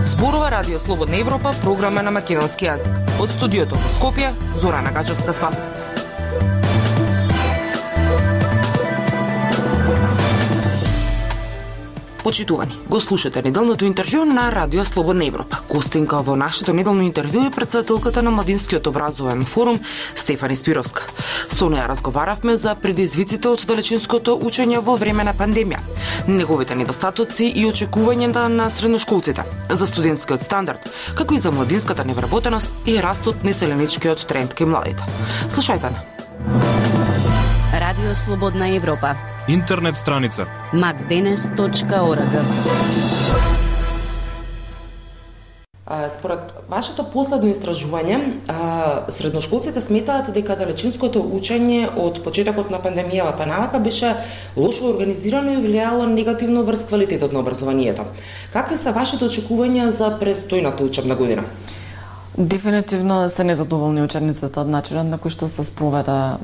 Зборува Радио Слободна Европа, програма на македонски јазик. Од студиото во Скопје, Зорана Гачевска-Спасовска. Почитувани, го слушате неделното интервју на Радио Слободна Европа. Гостинка во нашето неделно интервју е претседателката на Младинскиот образовен форум Стефани Спировска. Со неја разговаравме за предизвиците од далечинското учење во време на пандемија, неговите недостатоци и очекувањата на средношколците, за студентскиот стандард, како и за младинската невработеност и растот на селеничкиот тренд кај младите. Слушајте на Радио Слободна Европа. Интернет страница macdenes.org. Според вашето последно истражување, средношколците сметаат дека далечинското учење од почетокот на пандемијата навака беше лошо организирано и влијало негативно врз квалитетот на образованието. Какви се вашите очекувања за престојната учебна година? Дефинитивно се незадоволни учениците од начинот на кој што се спроведе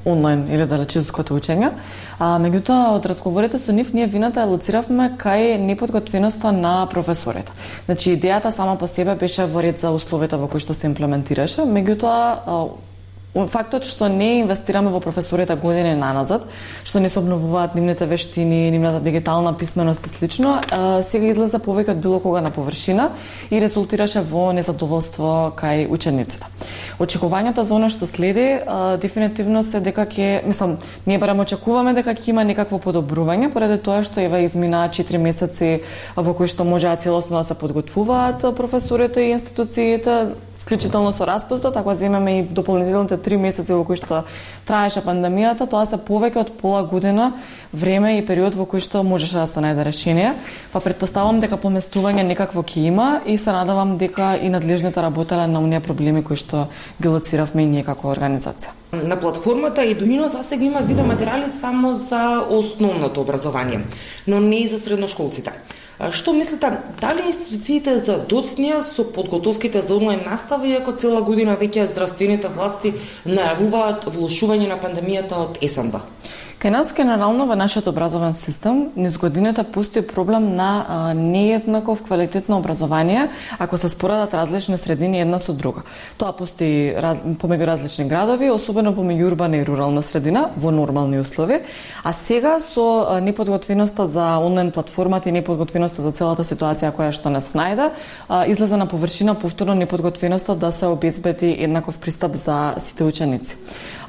онлайн или далечинското учење. Меѓутоа, од разговорите со нив, ние вината ја лоциравме кај неподготвеноста на професорите. Значи, идејата сама по себе беше во ред за условите во кои што се имплементираше, меѓутоа, фактот што не инвестираме во професорите години наназад, што не се обновуваат нивните вештини, нивната дигитална писменост и слично, сега излезе повеќе од било кога на површина и резултираше во незадоволство кај учениците. Очекувањата за оно што следи дефинитивно се дека ние барем очекуваме дека ќе има некакво подобрување, поради тоа што измина 4 месеци во кои што можеа целосно да се подготвуваат професорите и институциите, вклучително со распустот, ако земеме и дополнителните 3 месеци во кои што траеше пандемијата, тоа се повеќе од пола година време и период во кој што можеше да се најде решение. Па претпоставам дека поместување некакво ќе има и се надевам дека и надлежните работеле на оние проблеми кои што ги лоциравме и ние како организација. На платформата Eduino засега има видеоматеријали само за основното образование, но не и за средношколците. Што мислите, дали институциите за доцнија со подготовките за онлайн настава, иако цела година веќе здравствените власти најавуваат влошување на пандемијата од есенба? Кај нас, генерално, во нашиот образовен систем, низ годините постои проблем на нееднаков квалитет на образование, ако се споредат различни средини една со друга. Тоа постои помеѓу различни градови, особено помеѓу урбана и рурална средина, во нормални услови, а сега со неподготвеноста за онлайн платформата и неподготвеноста за целата ситуација која што нас најде, излезе на површина повторно неподготвеноста да се обезбеди еднаков пристап за сите ученици.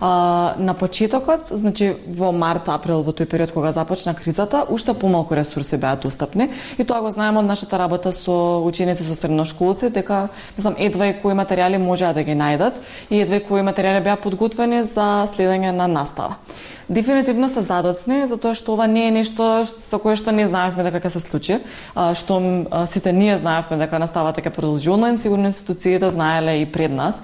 На почетокот, значи во март, април, во тој период кога започна кризата, уште помалку ресурси беа достапни и тоа го знаеме од нашата работа со ученици, со средношколци, дека едва и кои материјали можеа да ги најдат и едва и кои материјали беа подготвени за следење на настава. Дефинитивно се задоцни, затоа што ова не е нешто со кое што не знаевме дека ќе се случи, што сите ние знаевме дека наставата ќе продолжи онлайн, сигурно институциите знаеле и пред нас.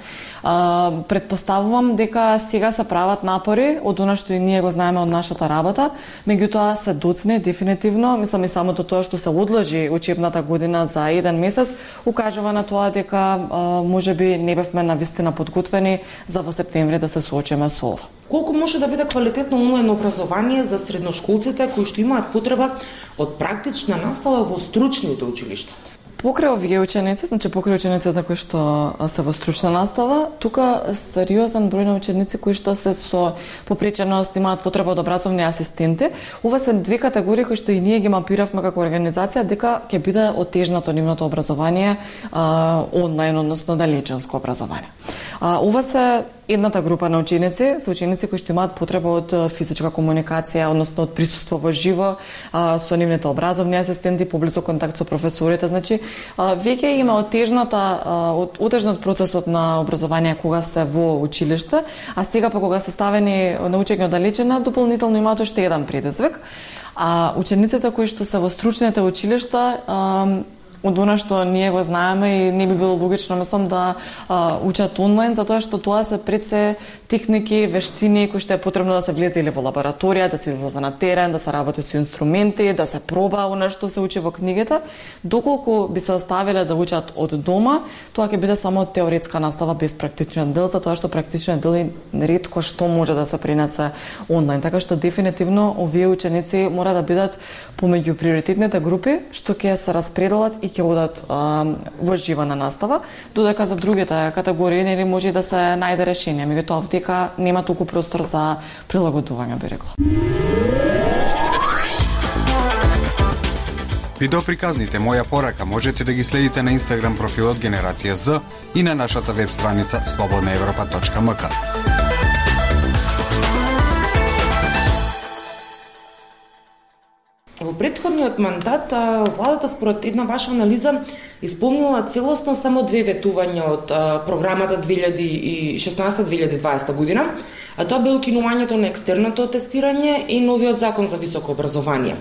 Предпоставувам дека сега се прават напори од она што и ние го знаеме од нашата работа, меѓутоа се доцни дефинитивно, и самото тоа што се одложи учебната година за 1 месец, укажува на тоа дека можеби не бевме навистина подготвени за во септември да се соочиме со ова. Колку може да биде квалитетно онлайн образование за средношколците кои што имаат потреба од практична настава во стручните училишта? Покрај овие ученици, значи покрај учениците кои што се во стручна настава, тука сериозен број на ученици кои што се со попреченост, имаат потреба од образовни асистенти. Ова се две категории кои што и ние ги мапиравме како организација дека ќе биде отежнато нивното образование онлайн, односно далечинско образование. Ова се едната група на ученици, се ученици кои што имаат потреба од физичка комуникација, односно од присуство во живо со нивните образовни асистенти, поблисок контакт со професорите. Значи, веќе има отежнат процесот на образование кога се во училиште, а сега па кога се ставени на учење оддалечена, дополнително имаат уште еден предизвик. А учениците кои што се во стручните училишта од она што ние го знаеме и не би било логично, мислам, да учат онлайн, затоа што тоа се пред се техники, вештини кои што е потребно да се влезе или во лабораторија, да се излезе на терен, да се работи со инструменти, да се проба она што се учи во книгата. Доколку би се оставиле да учат од дома, тоа ќе биде само теоретска настава без практичен дел, затоа што практичен дел ретко што може да се пренесе онлайн. Така што дефинитивно овие ученици мора да бидат помеѓу приоритетните групи што ќе се распределат и ќе одат во живана настава, додека за другите категории нели може да се најде решение, меѓутоа дека нема толку простор за прилагодување, би рекла. Видеоприказните Моја порака можете да ги следите на Инстаграм профилот Генерација З и на нашата веб страница slobodnaevropa.mk. Во претходниот мандат, владата според една ваша анализа исполнила целосно само 2 ветувања од програмата 2016-2020 година, а тоа бе укинувањето на екстерното тестирање и новиот закон за високо образование.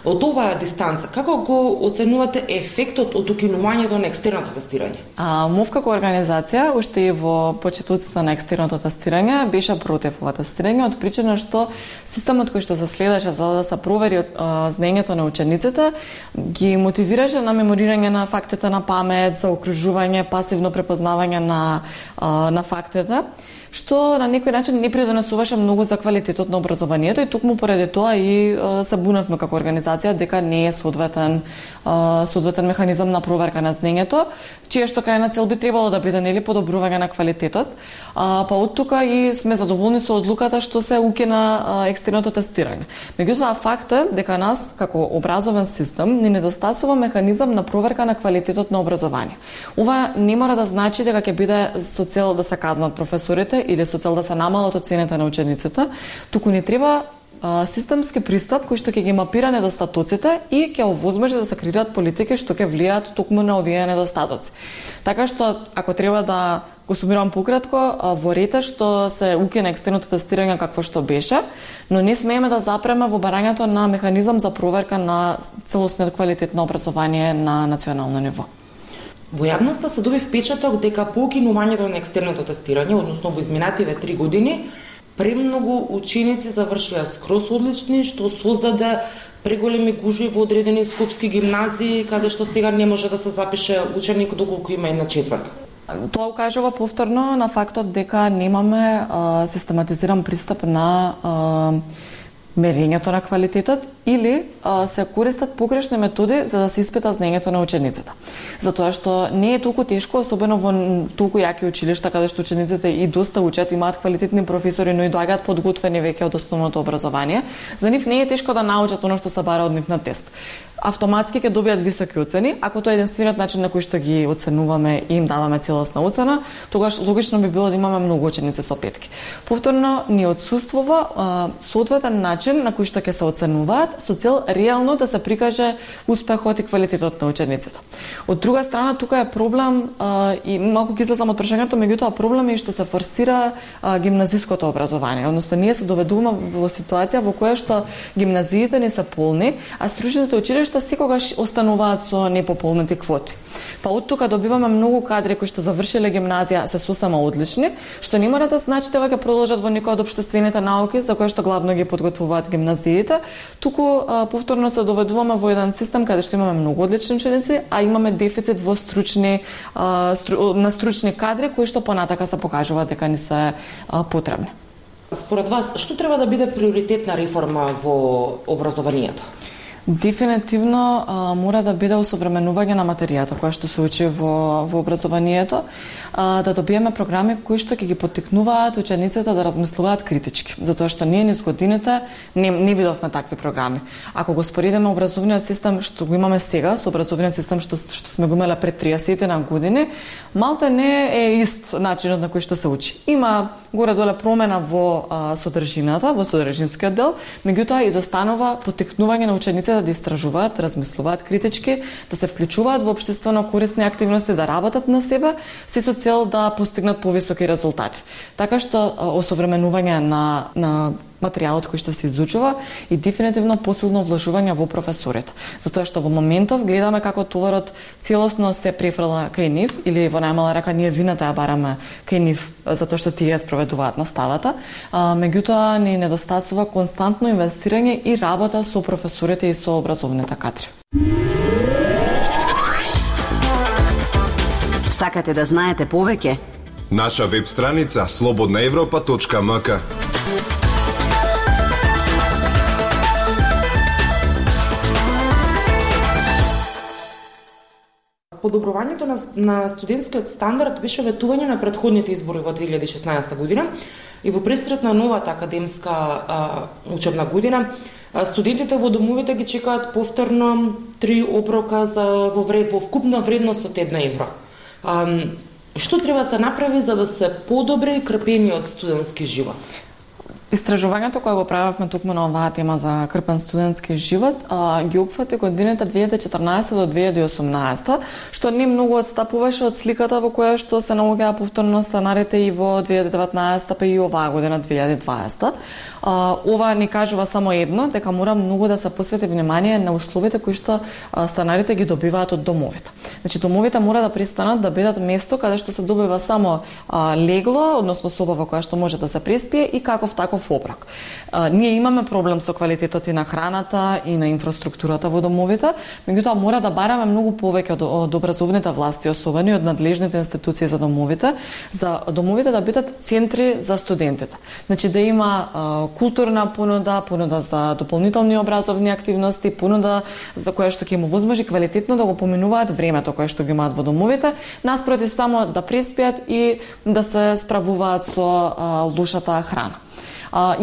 Од оваа дистанца, како го оценувате ефектот од укинувањето на екстерното тестирање? МОВ како организација, уште и во почетоците на екстерното тестирање, беше против ова тестирање, од причина што системот кој што се следеше за да се провери знаењето на учениците, ги мотивираше на меморирање на фактите на памет, за окружување, пасивно препознавање на фактите, што на некој начин не придонесуваше многу за квалитетот на образованието и токму поради тоа и се буневме како организација дека не е соодветен механизам на проверка на знаењето, чија што крајна цел би требало да биде нели подобрување на квалитетот. Па од тука и сме задоволни со одлуката што се укина екстерното тестирање. Меѓутоа факт е дека нас како образовен систем ни недостасува механизам на проверка на квалитетот на образование. Ова не мора да значи дека ќе биде со цел да се казнат професорите или со цел да се намалат оценките на учениците, туку ни треба системски пристап кој што ќе ги мапира недостатоците и ќе овозможи да се креираат политики што ќе влијаат токму на овие недостатоци. Така што, ако треба да го сумирам пократко, во рете што се укина екстерното тестирање какво што беше, но не смееме да запреме во барањето на механизам за проверка на целосниот квалитет на образование на национално ниво. Во јавноста се доби впечаток дека по укинувањето на екстерното тестирање, односно во изминативе 3 години, премногу ученици завршија скроз одлични, што создаде преголеми гужви во одредени скопски гимназии, каде што сега не може да се запише ученик доколку има 1/4. Тоа укажува повторно на фактот дека немаме систематизиран пристап на мерењето на квалитетот или се користат погрешни методи за да се испита знаењето на учениците. Затоа што не е толку тешко, особено во толку јаки училишта каде што учениците и доста учат, имаат квалитетни професори, но и доаѓаат подготвени веќе од основното образование. За нив не е тешко да научат оно што се бара од нив на тест. Автоматски ќе добијат високи оцени, ако тоа е единствениот начин на кој што ги оценуваме и им даваме целосна оцена, тогаш логично би било да имаме многу ученици со петки. Повторно ни отсуствува соодветен начин на кој што ќе се оценуваат со цел реално да се прикаже успехот и квалитетот на учениците. Од друга страна, тука е проблем и малку ќе излезам од прашањето, меѓутоа проблем е што се форсира гимназиското образование, односно ние се доведуваме во ситуација во која што гимназиите не се полни, а стручните училишта секогаш остануваат со непополнети квоти. Па од тука добиваме многу кадри кои што завршиле гимназија се сосема одлични, што не мора да значи дека ќе продолжат во некој од општествените науки за кои што главно ги подготвуваат гимназиите, туку повторно се доведуваме во еден систем каде што имаме многу одлични ученици, а имаме дефицит во на стручни кадри кои што понатака се покажуваат дека не се потребни. Според вас, што треба да биде приоритетна реформа во образованието? Дефинитивно мора да биде осовременување на материјата која што се учи во образованието, да добиеме програми кои што ќе ги поттикнуваат учениците да размислуваат критички, затоа што ние низ годините не видовме такви програми. Ако го споредиме образовниот систем што го имаме сега со образовниот систем што сме го имале пред 30 на години, малте не е ист начинот на кој што се учи. Има горе-доле промена во содржината, во содржинскиот дел, меѓутоа изостанува поттикнување на учениците да истражуваат, размислуваат критички, да се вклучуваат во општествено корисни активности, да работат на себе, се со цел да постигнат повисоки резултати. Така што осовременување на материјалот кој што се изучува и дефинитивно посилно вложување во професорите. Затоа што во моментов гледаме како товарот целосно се префрла кај нив или во најмала рака ние вината ја бараме кај нив затоа што тие ја спроведуваат наставата. Меѓутоа ни недостасува константно инвестирање и работа со професорите и со образовните кадри. Сакате да знаете повеќе? Наша веб страница slobodnaevropa.mk. Подобрувањето на студентскиот стандард беше ветување на претходните избори во 2016 година и во пресрет на новата академска учебна година студентите во домовите ги чекаат повторно 3 оброка во вкупна вредност од 1 евро. Што треба да се направи за да се подобри крпениот студентски живот? Истражувањето кое го правевме токму на оваа тема за крпен студентски живот ги опфати годината 2014 до 2018, што не многу отстапуваше од сликата во која што се наоѓаа повторно станарите и во 2019 па и оваа година 2020. Ова ни кажува само едно, дека мора многу да се посвети внимание на условите кои што станарите ги добиваат од домовите. Значи домовите мора да престанат да бидат место каде што се добива само легло, односно соба во која што може да се преспие и каков таков оброк. Ние имаме проблем со квалитетот и на храната и на инфраструктурата во домовите, меѓутоа мора да бараме многу повеќе од образовните власти, особено од надлежните институции за домовите да бидат центри за студентите. Значи да има културна понуда за дополнителни образовни активности, понуда за која што ќе им овозможи квалитетно да го поминуваат времето кое што ги имаат во домовите, наспроти само да преспиат и да се справуваат со лошата храна.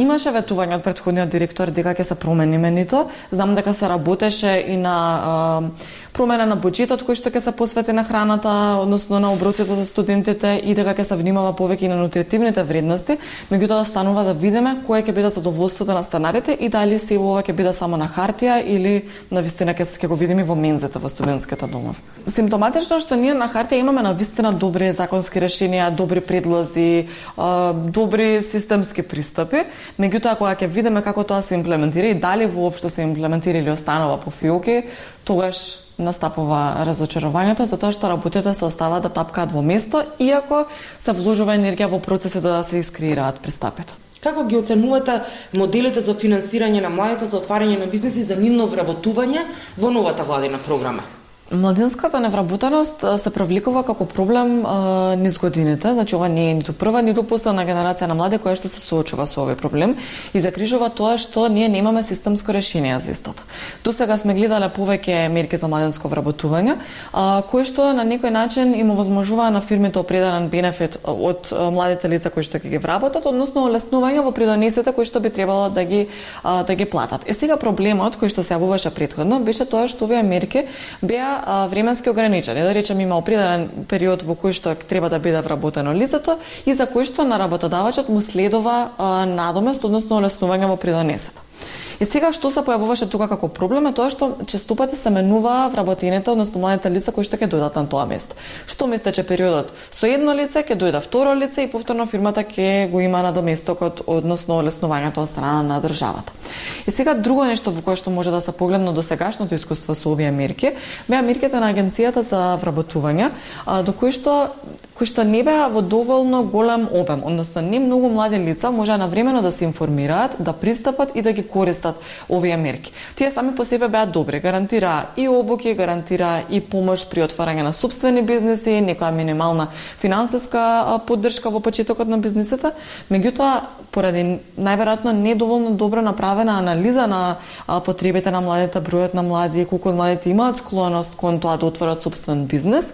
Имаше ветување од претходниот директор дека ќе се промени менито. Знам дека се работеше и на промена на буџетот кој што ќе се посвети на храната, односно на оброците за студентите и дека ќе се внимава повеќе на нутритивните вредности, меѓутоа станува да видиме кое ќе биде задоволството на станарите и дали се ова ќе биде само на хартија или навистина ќе го видиме во мензите во студентските домови. Симптоматично што ние на хартија имаме навистина добри законски решенија, добри предлози, добри системски пристапи, меѓутоа кога ќе видиме како тоа се имплементира и дали воопшто се имплементира или останува по фиоки, тогаш настапува разочарувањето, затоа што работите се оставаат да тапкаат во место, иако се вложува енергија во процесите да се искреираат пристапите. Како ги оценувате моделите за финансирање на младите за отварање на бизнеси за нивно вработување во новата владина програма? Младинската невработеност се привлекува како проблем низ годините, значи ова не е ниту прва, ниту последна генерација на млади која што се соочува со овој проблем и закрижува тоа што ние немаме системско решение за истото. Досега сме гледале повеќе мерки за младинско вработување, кои што на некој начин им овозможува на фирмите определен бенефит од младите лица кои што ќе ги вработат, односно олеснување во придонесите кои што би требало да ги платат. Сега проблемот кој што се јавуваше претходно беше тоа што овие мерки беа временски ограничени. Да речем има определен период во кој што треба да биде вработено лицето и за кој што на работодавачот му следува надомест, односно олеснување во придонесата. И сега што се појавуваше тука како проблем е тоа што честопати се менува вработените, односно младите лица кои што ќе дојдат на тоа место. Што мислите периодот со едно лице ќе дојде второ лице и повторно фирмата ќе го има надоместокот, односно олеснувањето од страна на државата. И сега друго нешто во кое што може да се погледне до сегашното искуство со овие мерки, беа мерките на агенцијата за вработување, до кои што не беа во доволно голем обем, односно не многу млади лица можеа навремено да се информираат, да пристапат и да ги користат овие мерки. Тие сами по себе беа добри, гарантираа и обуки, гарантираа и помош при отварање на сопствени бизнеси, некоја минимална финансиска поддршка во почетокот на бизнисите, меѓутоа поради најверојатно недоволно добро направена анализа на потребите на младите, бројот на млади, колку младите имаат склоност кон тоа да отворат сопствен бизнес,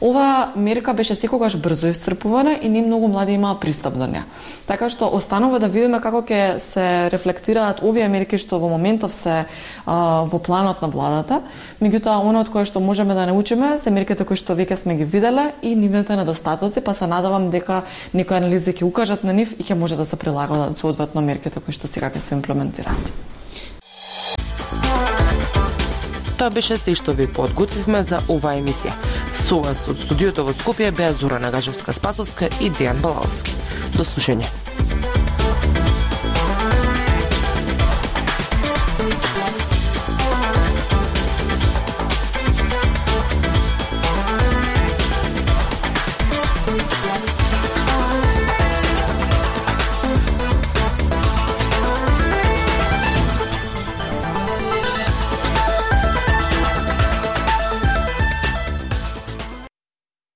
оваа мерка беше секогаш брзо исцрпувана и не многу млади имаа пристап до неа. Така што останува да видиме како ќе се рефлектираат овие мерки што во моментов се во планот на владата, меѓутоа оно од кое што можеме да научиме се мерките кои што веќе сме ги виделе и нивните недостатоци, па се надевам дека некои анализи ќе укажат на нив и ќе може да се прилагаат соодветно мерките кои што сега ќе се имплементираат. Тоа беше се што ви подготвивме за оваа емисија. Со вас од студиото во Скопје беа Зора Нагажевска-Спасовска и Дејан Балаовски. До слушање.